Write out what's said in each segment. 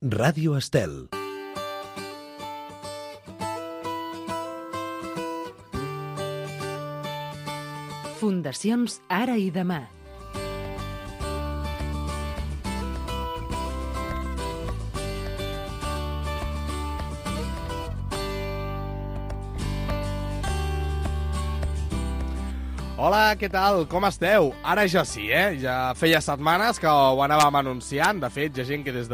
Ràdio Estel. Fundacions Ara i Demà. Hola, què tal? Com esteu? Ara ja sí, Ja feia setmanes que ho anàvem anunciant. De fet, hi ha gent que des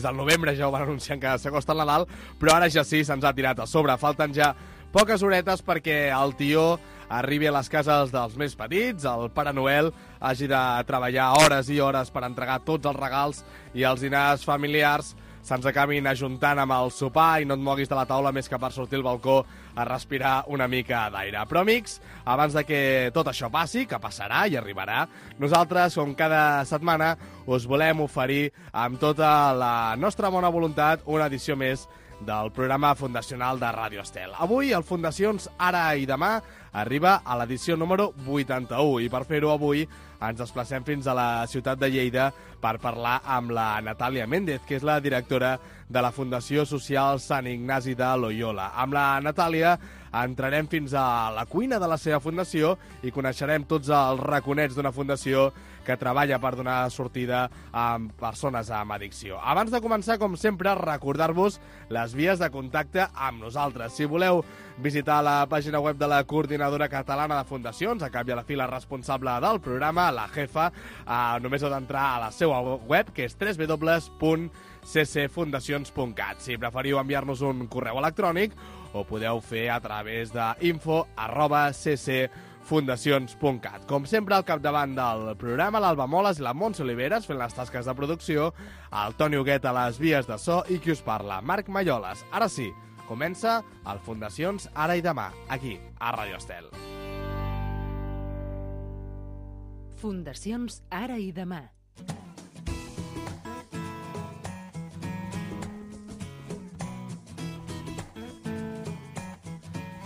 del novembre ja ho van anunciant que s'acosta el Nadal, però ara ja sí, se'ns ha tirat a sobre. Falten ja poques horetes perquè el tió arribi a les cases dels més petits, el Pare Noel hagi de treballar hores i hores per entregar tots els regals i els dinars familiars se'ns acabin ajuntant amb el sopar i no et moguis de la taula més que per sortir al balcó a respirar una mica d'aire. Però, amics, abans de que tot això passi, que passarà i arribarà, nosaltres, com cada setmana, us volem oferir amb tota la nostra bona voluntat una edició més del programa fundacional de Ràdio Estel. Avui, el Fundacions Ara i Demà arriba a l'edició número 81 i per fer-ho avui ens desplacem fins a la ciutat de Lleida per parlar amb la Natàlia Méndez, que és la directora de la Fundació Social Sant Ignasi de Loyola. Amb la Natàlia entrarem fins a la cuina de la seva fundació i coneixerem tots els raconets d'una fundació que treballa per donar sortida a persones amb addicció. Abans de començar, com sempre, recordar-vos les vies de contacte amb nosaltres. Si voleu visitar la pàgina web de la Coordinadora Catalana de Fundacions, a cap i a la fi la responsable del programa, la jefa, només heu d'entrar a la seva web, que és www.ccfundacions.cat. Si preferiu enviar-nos un correu electrònic, ho podeu fer a través de info@ccfundacions.cat. Com sempre, al capdavant del programa, l'Alba Moles i la Montse Oliveres fent les tasques de producció, el Toni Huguet a les vies de so i qui us parla, Marc Malloles. Ara sí, comença el Fundacions Ara i Demà, aquí, a Ràdio Estel. Fundacions Ara i Demà.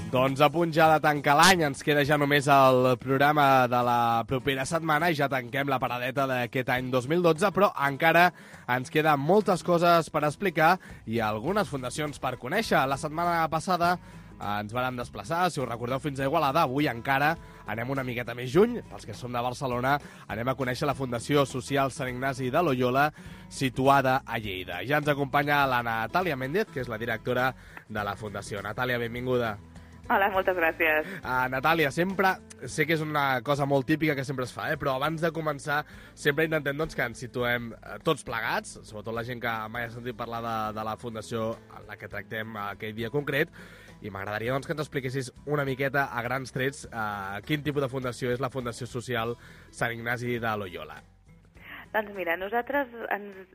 Doncs a punt ja de tancar l'any, ens queda ja només el programa de la propera setmana i ja tanquem la paradeta d'aquest any 2012, però encara ens queden moltes coses per explicar i algunes fundacions per conèixer. La setmana passada ens vàrem desplaçar, si us recordeu, fins a Igualada. Avui encara anem una miqueta més juny. Pels que som de Barcelona, anem a conèixer la Fundació Social Sant Ignasi de Loyola, situada a Lleida. Ja ens acompanya la Natàlia Méndez, que és la directora de la Fundació. Natàlia, benvinguda. Hola, moltes gràcies. Natàlia, sempre, sé que és una cosa molt típica que sempre es fa, però abans de començar sempre intentem que ens situem tots plegats, sobretot la gent que mai ha sentit parlar de la fundació en la que tractem aquell dia concret, i m'agradaria que ens expliquessis una miqueta a grans trets quin tipus de fundació és la Fundació Social Sant Ignasi de Loyola. Doncs mira, nosaltres,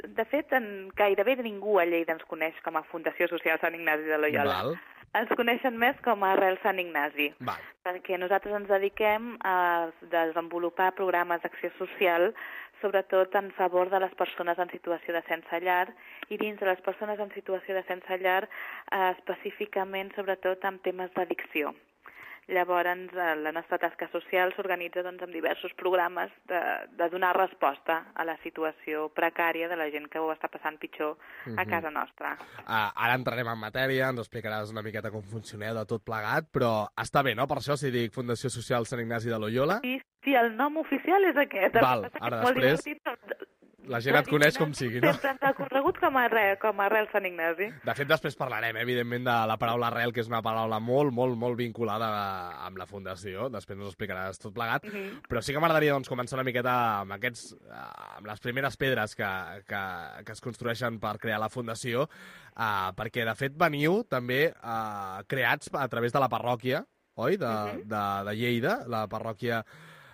de fet, gairebé ningú a Lleida ens coneix com a Fundació Social Sant Ignasi de Loyola. Val. Ens coneixen més com a Arrel Sant Ignasi, Val. perquè nosaltres ens dediquem a desenvolupar programes d'acció social, sobretot en favor de les persones en situació de sense llar, i dins de les persones en situació de sense llar, específicament, sobretot, en temes d'addicció. Llavors, la nostra tasca social s'organitza amb diversos programes de donar resposta a la situació precària de la gent que ho està passant pitjor a casa nostra. Ara entrarem en matèria, ens explicaràs una miqueta com funcioneu de tot plegat, però està bé, no? Per això si dic Fundació Social Sant Ignasi de Loyola. Sí, el nom oficial és aquest. Val, ara després la gent et coneix com sigui, no? Sempre ens ha corregut com a Arrel Sant Ignasi. De fet, després parlarem, evidentment, de la paraula arrel, que és una paraula molt, molt, molt vinculada amb la Fundació. Després ens ho explicaràs tot plegat. Però sí que m'agradaria començar una miqueta amb les primeres pedres que es construeixen per crear la Fundació, perquè, de fet, veniu també creats a través de la parròquia, oi?, de Lleida, la parròquia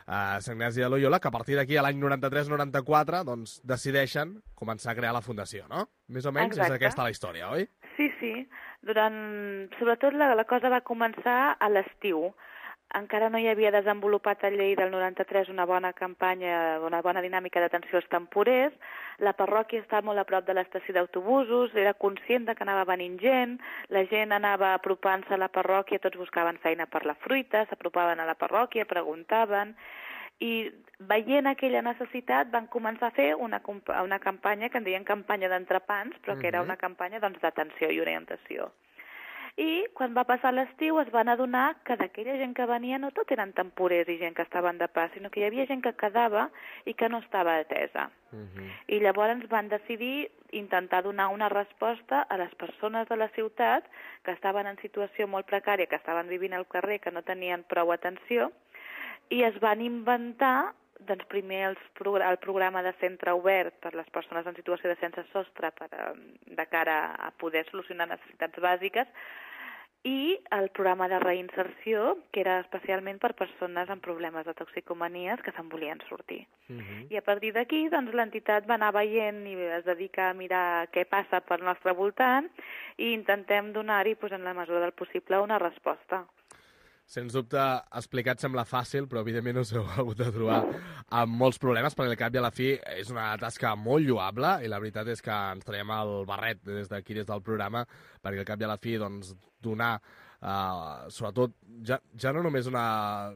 Sant Ignasi de Loyola, que a partir d'aquí, a l'any 93-94, doncs, decideixen començar a crear la Fundació, no? Més o menys és aquesta la història, oi? Sí. Sobretot la cosa va començar a l'estiu. Encara no hi havia desenvolupat a Lleida del 93 una bona campanya, una bona dinàmica d'atenció als temporers. La parròquia està molt a prop de l'estació d'autobusos, era conscient que anava venint gent, la gent anava apropant-se a la parròquia, tots buscaven feina per la fruita, s'apropaven a la parròquia, preguntaven, I veient aquella necessitat van començar a fer una campanya que en deien campanya d'entrepans, però que era una campanya d'atenció i orientació. I quan va passar l'estiu es van adonar que d'aquella gent que venia no tot eren temporers i gent que estaven de pas, sinó que hi havia gent que quedava i que no estava atesa. I llavors van decidir intentar donar una resposta a les persones de la ciutat que estaven en situació molt precària, que estaven vivint al carrer, que no tenien prou atenció, i es van inventar doncs primer el programa de centre obert per a les persones en situació de sense sostre de cara a poder solucionar necessitats bàsiques, i el programa de reinserció, que era especialment per persones amb problemes de toxicomanies que se'n volien sortir. I a partir d'aquí, doncs, l'entitat va anar veient i es dedica a mirar què passa pel nostre voltant i intentem donar-hi, doncs, en la mesura del possible, una resposta. Sens dubte, explicat sembla fàcil, però evidentment us heu hagut de trobar amb molts problemes, perquè al cap i a la fi és una tasca molt lloable i la veritat és que ens traiem el barret des d'aquí, des del programa, perquè al cap i a la fi doncs, donar, sobretot, ja no només una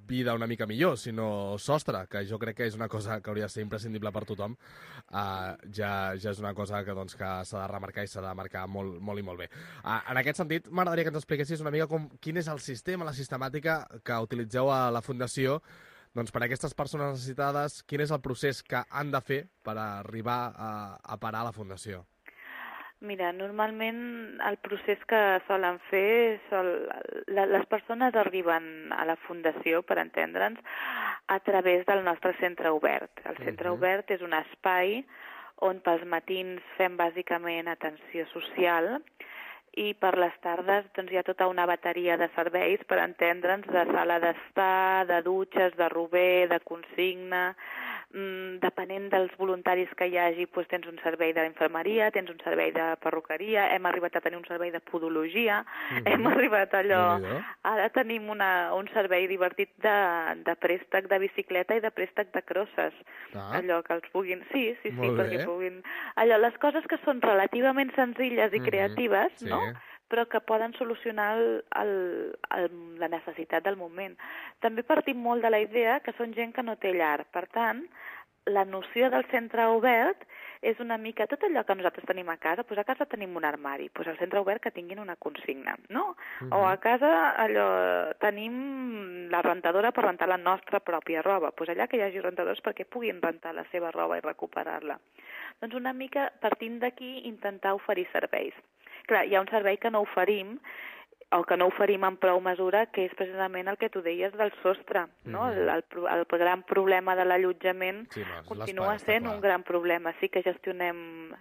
vida una mica millor, sinó sostre, que jo crec que és una cosa que hauria de ser imprescindible per tothom, ja és una cosa que s'ha de remarcar i s'ha de marcar molt, molt i molt bé. En aquest sentit, m'agradaria que ens expliquessis una mica quin és el sistema, la sistemàtica que utilitzeu a la Fundació doncs, per a aquestes persones necessitades, quin és el procés que han de fer per arribar a parar a la Fundació? Mira, normalment el procés que solen fer, les persones arriben a la Fundació, per entendre'ns, a través del nostre centre obert. El centre obert és un espai on pels matins fem bàsicament atenció social i per les tardes doncs, hi ha tota una bateria de serveis, per entendre'ns, de sala d'estar, de dutxes, de rober, de consigna. Depenent dels voluntaris que hi hagi, doncs tens un servei d'infermeria, tens un servei de perruqueria, hem arribat a tenir un servei de podologia, hem arribat ara tenim un servei divertit de préstec de bicicleta i de préstec de crosses, allò que els puguin... Sí, perquè puguin... Allò, les coses que són relativament senzilles i creatives, no?, però que poden solucionar la necessitat del moment. També partim molt de la idea que són gent que no té llar. Per tant, la noció del centre obert és una mica tot allò que nosaltres tenim a casa. Doncs a casa tenim un armari, doncs al centre obert que tinguin una consigna, no? O a casa tenim la rentadora per rentar la nostra pròpia roba. Doncs allà que hi hagi rentadors perquè puguin rentar la seva roba i recuperar-la. Doncs una mica partint d'aquí intentar oferir serveis. Clar, hi ha un servei que no oferim, o que no oferim en prou mesura, que és precisament el que tu deies del sostre, no? El gran problema de l'allotjament continua sent un gran problema. Sí que gestionem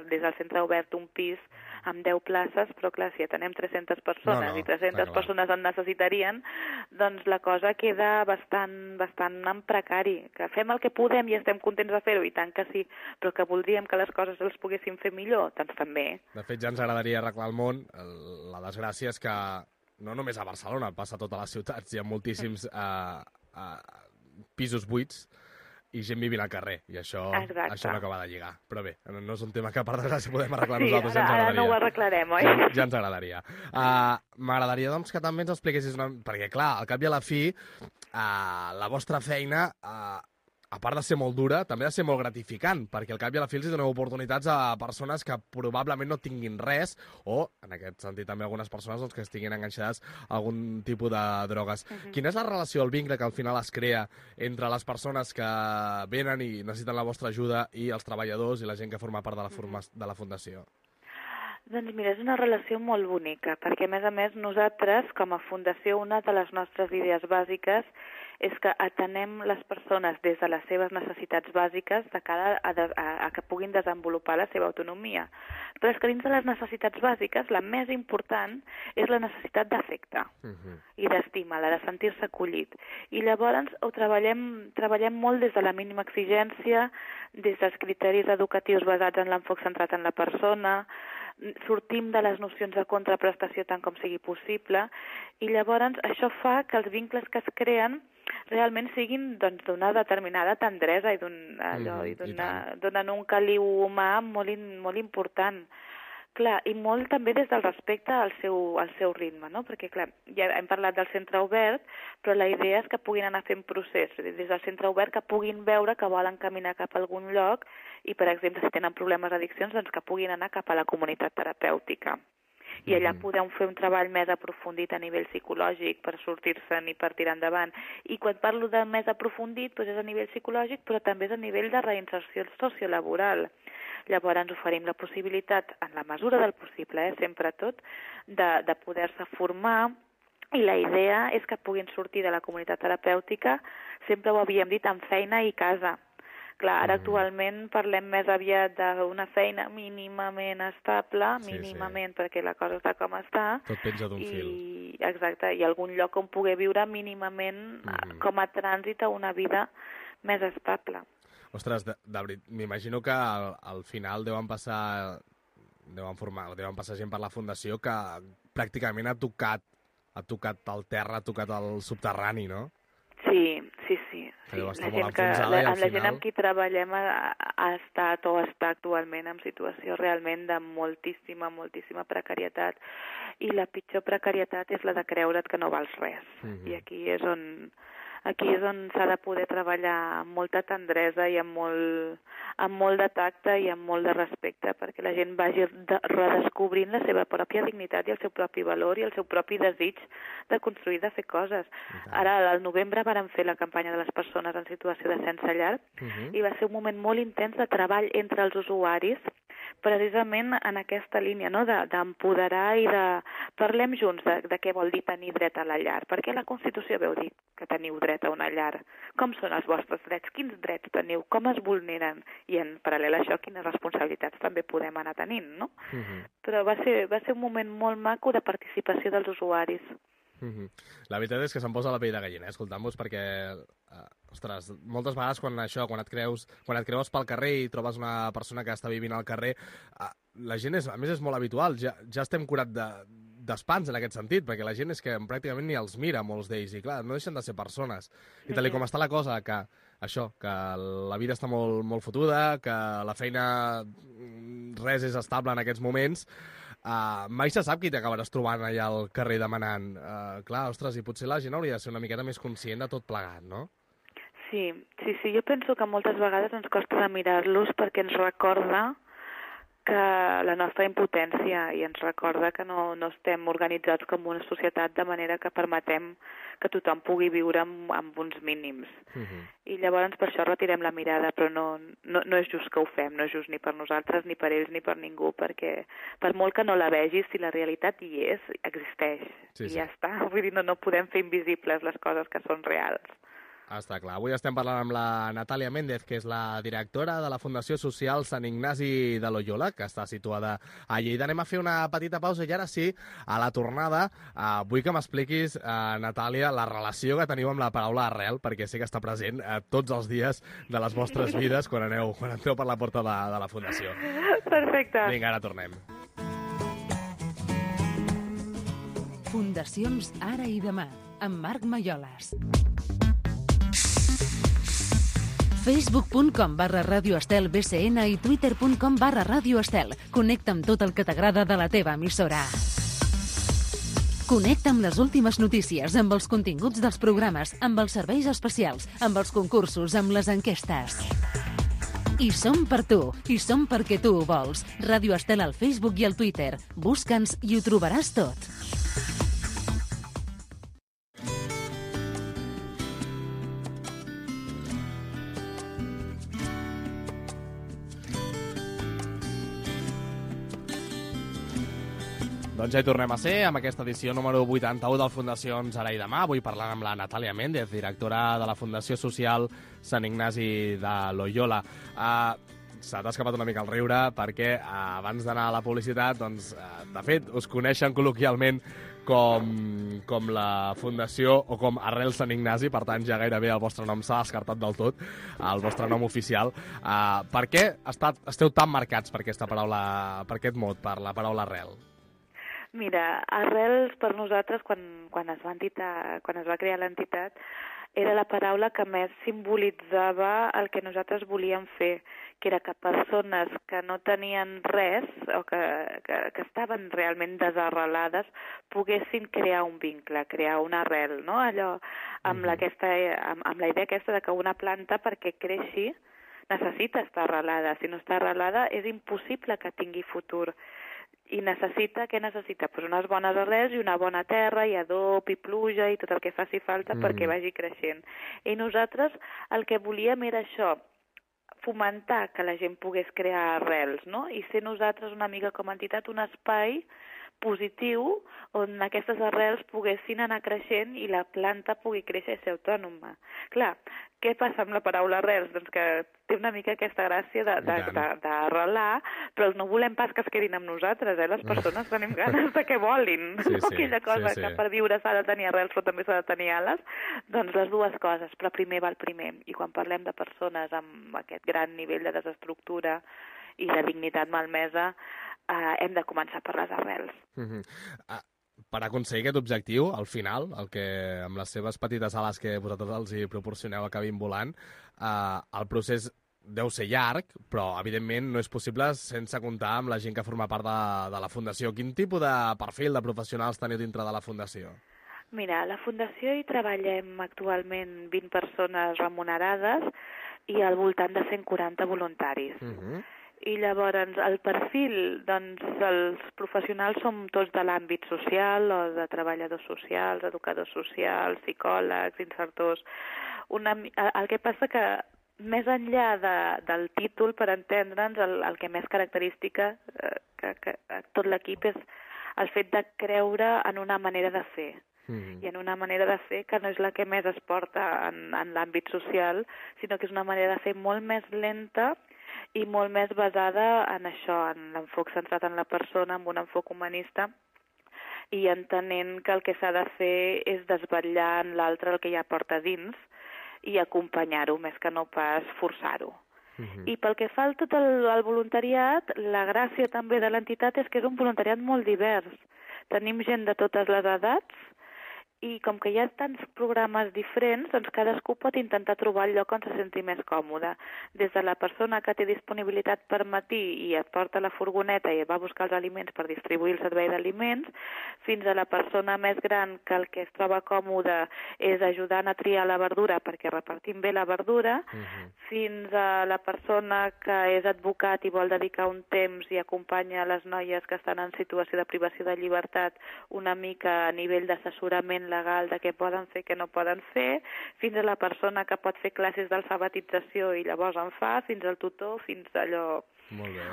des del centre obert un pis amb 10 places, però clar, si atenem 300 persones i 300 persones en necessitarien, doncs la cosa queda bastant en precari. Que fem el que podem i estem contents de fer-ho, i tant que sí, però que voldríem que les coses els poguéssim fer millor, doncs també. De fet, ja ens agradaria arreglar el món. La desgràcia és que no només a Barcelona, passa a totes les ciutats, hi ha moltíssims pisos buits i gent vivint al carrer, i això no acaba de lligar. Però bé, no és un tema que per desgràcia podem arreglar nosaltres, ja ens agradaria. Ara no ho arreglarem, oi? Ja ens agradaria. M'agradaria doncs, que també ens expliquessis perquè clar, al cap i a la fi, la vostra feina, a part de ser molt dura, també ha de ser molt gratificant, perquè al cap i a la fi els doneu oportunitats a persones que probablement no tinguin res, o, en aquest sentit, també algunes persones doncs, que estiguin enganxades a algun tipus de drogues. Quina és la relació, el vincle que al final es crea entre les persones que venen i necessiten la vostra ajuda i els treballadors i la gent que forma part de la Fundació? Doncs mira, és una relació molt bonica, perquè a més, nosaltres, com a Fundació, una de les nostres idees bàsiques és que atenem les persones des de les seves necessitats bàsiques de cara a que puguin desenvolupar la seva autonomia. Però és que dins de les necessitats bàsiques, la més important és la necessitat d'afecte i d'estima, la de sentir-se acollit. I llavors ho treballem molt des de la mínima exigència, des dels criteris educatius basats en l'enfoc centrat en la persona, sortim de les nocions de contraprestació tant com sigui possible, i llavors això fa que els vincles que es creen realment siguin d'una determinada tendresa i donen un caliu humà molt important. Clar, i molt també des del respecte al seu ritme, no? Perquè, clar, ja hem parlat del centre obert, però la idea és que puguin anar fent procés, des del centre obert que puguin veure que volen caminar cap a algun lloc i, per exemple, si tenen problemes d'addiccions, doncs que puguin anar cap a la comunitat terapèutica. I allà podem fer un treball més aprofundit a nivell psicològic per sortir-se'n i per tirar endavant. I quan parlo de més aprofundit, doncs és a nivell psicològic, però també és a nivell de reinserció sociolaboral. Llavors ens oferim la possibilitat, en la mesura del possible, sempre tot, de poder-se formar, i la idea és que puguin sortir de la comunitat terapèutica, sempre ho havíem dit, amb feina i casa. Clar, ara actualment parlem més aviat d'una feina mínimament estable, mínimament perquè la cosa està com està. Tot penja d'un fil. Exacte, i algun lloc on poder viure mínimament com a trànsit a una vida més estable. Ostres, m'imagino que al final deuen passar gent per la Fundació que pràcticament ha tocat el terra, ha tocat el subterrani, no? Sí. La gent amb qui treballem ha estat o està actualment en situació realment de moltíssima precarietat, i la pitjor precarietat és la de creure't que no vals res. I aquí és on s'ha de poder treballar amb molta tendresa i amb molt de tacte i amb molt de respecte, perquè la gent vagi redescobrint la seva pròpia dignitat i el seu propi valor i el seu propi desig de construir, de fer coses. Ara, al novembre, vàrem fer la campanya de les persones en situació de sense llar i va ser un moment molt intens de treball entre els usuaris, precisament en aquesta línia, no? D'empoderar i de... Parlem junts de què vol dir tenir dret a la llar, perquè la Constitució veu dir que teniu dret a una llar. Com són els vostres drets? Quins drets teniu? Com es vulneren? I en paral·lel a això, quines responsabilitats també podem anar tenint, no? Però va ser un moment molt maco de participació dels usuaris. La veritat és que se'm posa la pell de gallina, escoltant-vos, perquè, ostres, moltes vegades quan et creus pel carrer i trobes una persona que està vivint al carrer, la gent, a més, és molt habitual, ja estem curats d'espants en aquest sentit, perquè la gent és que pràcticament ni els mira, molts d'ells, i clar, no deixen de ser persones. I tal com està la cosa, que la vida està molt, molt fotuda, que la feina res és estable en aquests moments, mai se sap qui t'acabaràs trobant allà al carrer demanant. Clar, ostres, i potser la gent hauria de ser una miqueta més conscient de tot plegat, no? Sí, jo penso que moltes vegades ens costa de mirar-los perquè ens recorda que la nostra impotència i ens recorda que no estem organitzats com una societat de manera que permetem que tothom pugui viure amb uns mínims. I llavors per això retirem la mirada, però no és just que ho fem, no és just ni per nosaltres, ni per ells, ni per ningú, perquè per molt que no la vegis, si la realitat hi és, existeix. I ja està, vull dir, no podem fer invisibles les coses que són reals. Està clar. Avui estem parlant amb la Natàlia Méndez, que és la directora de la Fundació Social Sant Ignasi de Loyola, que està situada a Lleida. Anem a fer una petita pausa i ara sí, a la tornada, vull que m'expliquis, Natàlia, la relació que teniu amb la paraula arrel, perquè sé que està present tots els dies de les vostres vides quan entreu per la porta de la Fundació. Perfecte. Vinga, ara tornem. Fundacions Ara i Demà, amb Marc Maiolas. Facebook.com/Ràdio Estel BCN i Twitter.com/Ràdio Estel. Connecta amb tot el que t'agrada de la teva emissora. Connecta amb les últimes notícies, amb els continguts dels programes, amb els serveis especials, amb els concursos, amb les enquestes. I som per tu, i som perquè tu ho vols. Ràdio Estel al Facebook i al Twitter. Busca'ns i ho trobaràs tot. Doncs ja hi tornem a ser, amb aquesta edició número 81 del Fundacions Ara i Demà. Avui parlant amb la Natàlia Méndez, directora de la Fundació Social Sant Ignasi de Loyola. Se t'ha escapat una mica el riure perquè abans d'anar a la publicitat, doncs, de fet, us coneixen col·loquialment com la Fundació o com Arrel Sant Ignasi, per tant ja gairebé el vostre nom s'ha descartat del tot, el vostre nom oficial. Per què esteu tan marcats per aquesta paraula, per aquest mot, per la paraula arrel? Mira, arrels per nosaltres, quan es va crear l'entitat, era la paraula que més simbolitzava el que nosaltres volíem fer, que era que persones que no tenien res o que estaven realment desarrelades poguessin crear un vincle, crear una arrel, no? Allò amb la idea aquesta de que una planta perquè creixi necessita estar arrelada. Si no està arrelada és impossible que tingui futur. I què necessita? Pues unes bones arrels i una bona terra, i adob, i pluja, i tot el que faci falta perquè vagi creixent. I nosaltres el que volíem era això, fomentar que la gent pogués crear arrels, no? I ser nosaltres una mica com a entitat un espai positiu on aquestes arrels poguessin anar creixent i la planta pugui créixer i ser autònoma. Clar, què passa amb la paraula arrels? Doncs que té una mica aquesta gràcia d'arrelar, però no volem pas que es quedin amb nosaltres, Les persones tenim ganes de que volin. Aquella cosa que per viure s'ha de tenir arrels però també s'ha de tenir ales, doncs les dues coses, però primer va el primer. I quan parlem de persones amb aquest gran nivell de desestructura i de dignitat malmesa, hem de començar per les arrels. Per aconseguir aquest objectiu, al final, el que amb les seves petites ales que vosaltres els hi proporcioneu acabin volant, el procés deu ser llarg, però evidentment no és possible sense comptar amb la gent que forma part de la Fundació. Quin tipus de perfil de professionals teniu dintre de la Fundació? Mira, a la Fundació hi treballem actualment 20 persones remunerades i al voltant de 140 voluntaris. I llavors el perfil, doncs els professionals som tots de l'àmbit social o de treballadors socials, educadors socials, psicòlegs, insertors. El que passa que més enllà del títol, per entendre'ns, el que més característica que tot l'equip és el fet de creure en una manera de fer. I en una manera de fer que no és la que més es porta en l'àmbit social, sinó que és una manera de fer molt més lenta i molt més basada en això, en l'enfoc centrat en la persona, amb un enfoc humanista, i entenent que el que s'ha de fer és desvetllar en l'altre el que ja porta dins i acompanyar-ho, més que no pas forçar-ho. I pel que fa a tot el voluntariat, la gràcia també de l'entitat és que és un voluntariat molt divers. Tenim gent de totes les edats, i com que hi ha tants programes diferents, doncs cadascú pot intentar trobar el lloc on se senti més còmode. Des de la persona que té disponibilitat per matí i et porta la furgoneta i va a buscar els aliments per distribuir el servei d'aliments, fins a la persona més gran que el que es troba còmode és ajudant a triar la verdura perquè repartim bé la verdura, fins a la persona que és advocat i vol dedicar un temps i acompanya les noies que estan en situació de privació de llibertat una mica a nivell d'assessorament legal de què poden fer, què no poden fer, fins a la persona que pot fer classes d'alfabetització i llavors en fa, fins al tutor, fins a allò...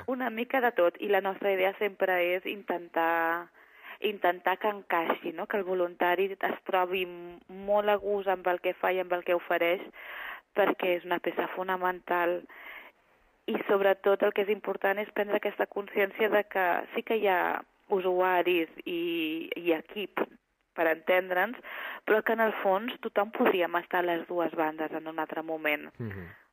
Una mica de tot. I la nostra idea sempre és intentar que encaixi, no? Que el voluntari es trobi molt a gust amb el que fa i amb el que ofereix, perquè és una peça fonamental. I sobretot el que és important és prendre aquesta consciència de que sí que hi ha usuaris i equip per entendre'ns, però que en el fons tothom podríem estar a les dues bandes en un altre moment.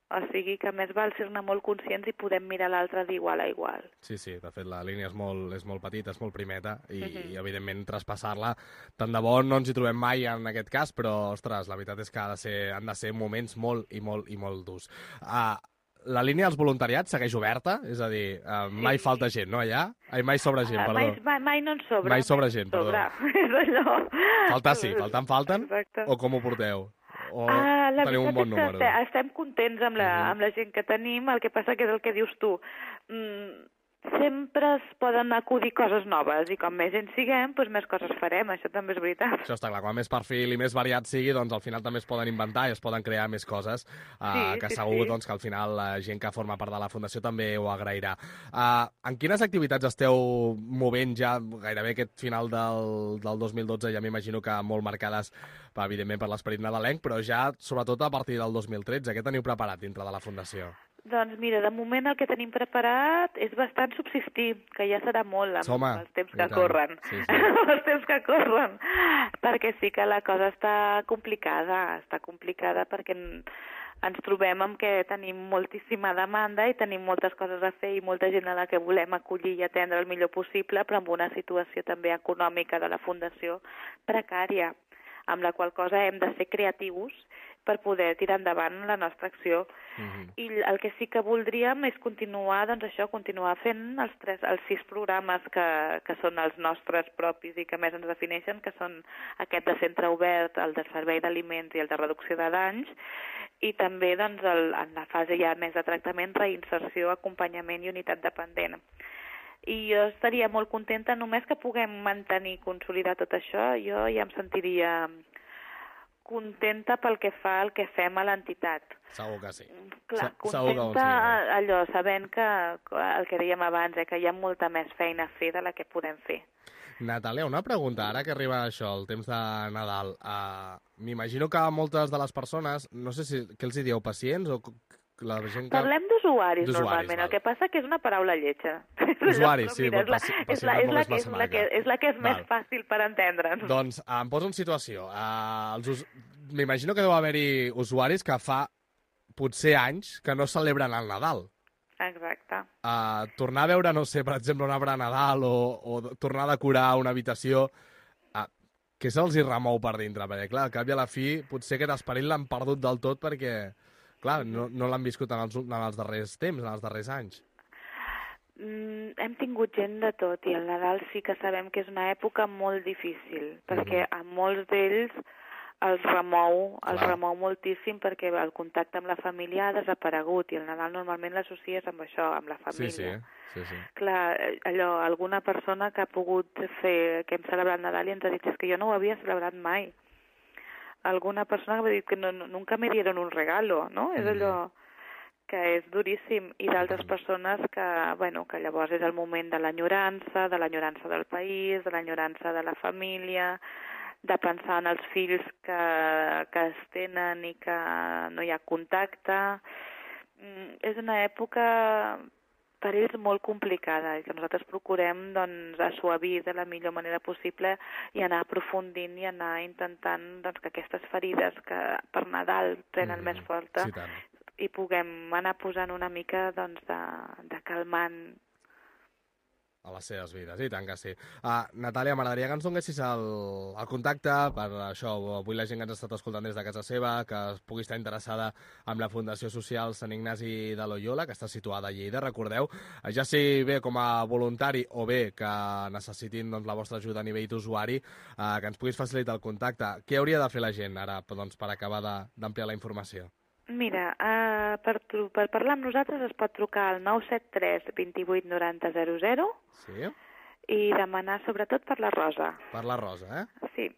O sigui que més val ser-ne molt conscients i podem mirar l'altre d'igual a igual. Sí, de fet la línia és molt petita, és molt primeta i evidentment traspassar-la tant de bo no ens hi trobem mai en aquest cas, però ostres, la veritat és que han de ser moments molt i molt durs. La línia dels voluntariats segueix oberta? És a dir, mai falta gent, no, allà? Mai sobra gent, perdó. Mai no en sobra. Mai sobra gent, perdó. És allò. Faltar sí, falten? Exacte. O com ho porteu? O teniu un bon número? Estem contents amb la gent que tenim, el que passa que és el que dius tu. Sempre es poden acudir coses noves i com més gent siguem, doncs més coses farem, això també és veritat. Això està clar, quan més perfil i més variat sigui, doncs al final també es poden inventar i es poden crear més coses, que segur doncs, que al final la gent que forma part de la Fundació també ho agrairà. En quines activitats esteu movent ja gairebé aquest final del 2012, ja m'imagino que molt marcades evidentment per l'esperit nadalenc, però ja sobretot a partir del 2013, què teniu preparat dintre de la Fundació? Doncs mira, de moment el que tenim preparat és bastant subsistir, que ja serà molt amb els temps que corren. Els temps que corren, perquè sí que la cosa està complicada perquè ens trobem amb que tenim moltíssima demanda i tenim moltes coses a fer i molta gent a la que volem acollir i atendre el millor possible, però amb una situació també econòmica de la Fundació precària, amb la qual cosa hem de ser creatius per poder tirar endavant la nostra acció. I el que sí que voldríem és continuar, doncs això, continuar fent els 6 programes que són els nostres propis i que més ens defineixen, que són aquest de centre obert, el de servei d'aliments i el de reducció de danys, i també doncs, en la fase ja més de tractament, reinserció, acompanyament i unitat dependent. I jo estaria molt contenta, només que puguem mantenir i consolidar tot això, jo ja em sentiria contenta pel que fa al que fem a l'entitat. Segur que sí. Clar, contenta allò, sabent que el que dèiem abans, que hi ha molta més feina a fer de la que podem fer. Natàlia, una pregunta, ara que arriba això, el temps de Nadal. M'imagino que moltes de les persones, no sé si què els hi dieu, pacients o la gent que... Parlem d'usuaris normalment, el que passa que és una paraula lletja. Usuaris, sí, és la que és més fàcil per entendre'ns. Doncs em poso en situació. M'imagino que deu haver-hi usuaris que fa potser anys que no celebren el Nadal. Exacte. Tornar a veure, no sé, per exemple, un arbre de Nadal o tornar a decorar una habitació, què se'ls hi remou per dintre? Perquè, clar, al cap i a la fi, potser aquest esperit l'han perdut del tot perquè, clar, no l'han viscut en els darrers temps, en els darrers anys. Hem tingut gent de tot i el Nadal sí que sabem que és una època molt difícil, perquè a molts d'ells els remou moltíssim perquè el contacte amb la família ha desaparegut i el Nadal normalment l'associes amb això, amb la família. Sí. Clar, allò, alguna persona que ha pogut fer, que hem celebrat Nadal i ens ha dit que jo no ho havia celebrat mai. Alguna persona que m'ha dit que nunca me dieron un regalo, no? És allò que és duríssim. I d'altres persones que, bueno, que llavors és el moment de l'enyorança del país, de l'enyorança de la família, de pensar en els fills que es tenen i que no hi ha contacte. És una època per ells molt complicada i que nosaltres procurem doncs, assuavir de la millor manera possible i anar aprofundint i anar intentant doncs, que aquestes ferides que per Nadal prenen més forta i puguem anar posant una mica doncs, de calmant a les seves vides, i tant que sí. Natàlia, m'agradaria que ens donessis el contacte per això, avui la gent que ens ha estat escoltant des de casa seva, que pugui estar interessada en la Fundació Social Sant Ignasi de Loyola, que està situada a Lleida, recordeu, ja sigui bé com a voluntari o bé que necessitin doncs, la vostra ajuda a nivell d'usuari, que ens puguis facilitar el contacte. Què hauria de fer la gent ara doncs, per acabar d'ampliar la informació? Mira, per parlar amb nosaltres es pot trucar al 973 28 90 00 i demanar sobretot per la Rosa. Per la Rosa, Sí.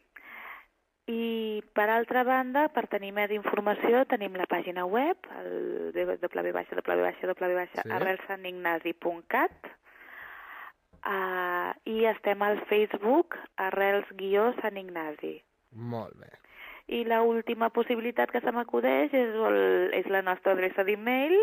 I per altra banda, per tenir més informació, tenim la pàgina web, el www.arrelsanignasi.cat i estem al Facebook Arrels-Sant Ignasi. Molt bé. I l'última possibilitat que se m'acudeix és la nostra adreça d'e-mail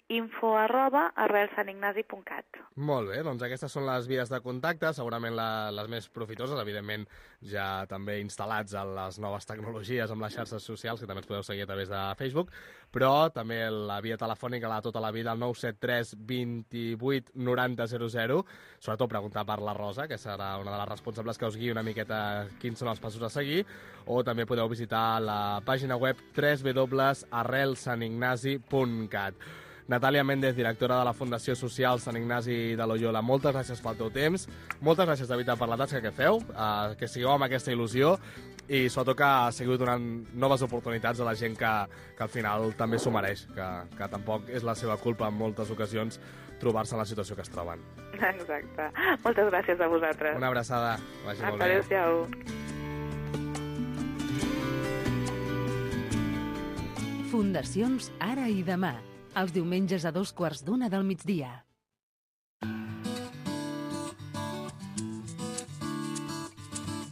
info@arrelsanignasi.cat. Molt bé, doncs aquestes són les vies de contacte, segurament les més profitoses, evidentment ja també instal·lats en les noves tecnologies amb les xarxes socials, que també ens podeu seguir a través de Facebook, però també la via telefònica de tota la vida, el 973 28 90 00, sobretot preguntar per la Rosa, que serà una de les responsables que us guiï una miqueta quins són els passos a seguir, o també podeu visitar la pàgina web www.arrelsanignasi.cat. Natàlia Méndez, directora de la Fundació Social Sant Ignasi de Loyola, moltes gràcies pel teu temps, moltes gràcies de veritat per la tasca que feu, que sigueu amb aquesta il·lusió i sobretot que seguiu donant noves oportunitats a la gent que al final també s'ho mereix, que tampoc és la seva culpa en moltes ocasions trobar-se en la situació que es troben. Exacte. Moltes gràcies a vosaltres. Una abraçada. Vagi molt bé. Adéu-siau. Fundacions Ara i Demà. Els diumenges a 2:15 del migdia.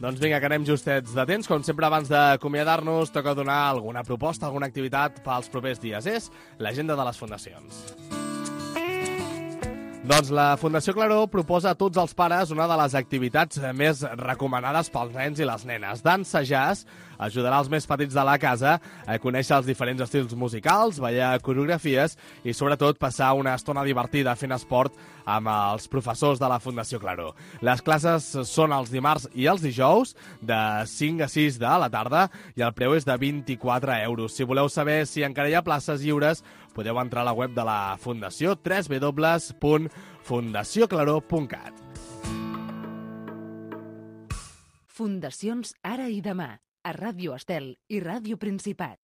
Doncs vinga, que anem justets de temps. Com sempre, abans d'acomiadar-nos, toca donar alguna proposta, alguna activitat pels propers dies. És l'agenda de les fundacions. Doncs la Fundació Claró proposa a tots els pares una de les activitats més recomanades pels nens i les nenes. Dansa jazz ajudarà els més petits de la casa a conèixer els diferents estils musicals, ballar coreografies i, sobretot, passar una estona divertida fent esport amb els professors de la Fundació Claró. Les classes són els dimarts i els dijous, de 5 a 6 de la tarda, i el preu és de 24 euros. Si voleu saber si encara hi ha places lliures, podeu entrar a la web de la Fundació, www.fundacioclaró.cat. Fundacions Ara i Demà, a Ràdio Estel i Ràdio Principat.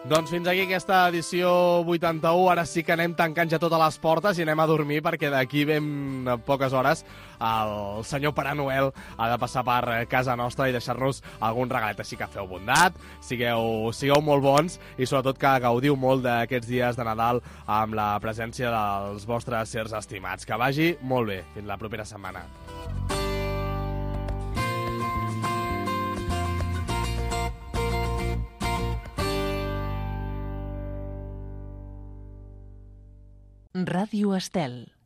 Doncs fins aquí aquesta edició 81. Ara sí que anem tancant ja totes les portes i anem a dormir, perquè d'aquí ben poques hores el senyor Pare Noel ha de passar per casa nostra i deixar-nos algun regalet. Així que feu bondat, sigueu molt bons i sobretot que gaudiu molt d'aquests dies de Nadal amb la presència dels vostres sers estimats. Que vagi molt bé. Fins la propera setmana. Ràdio Estel.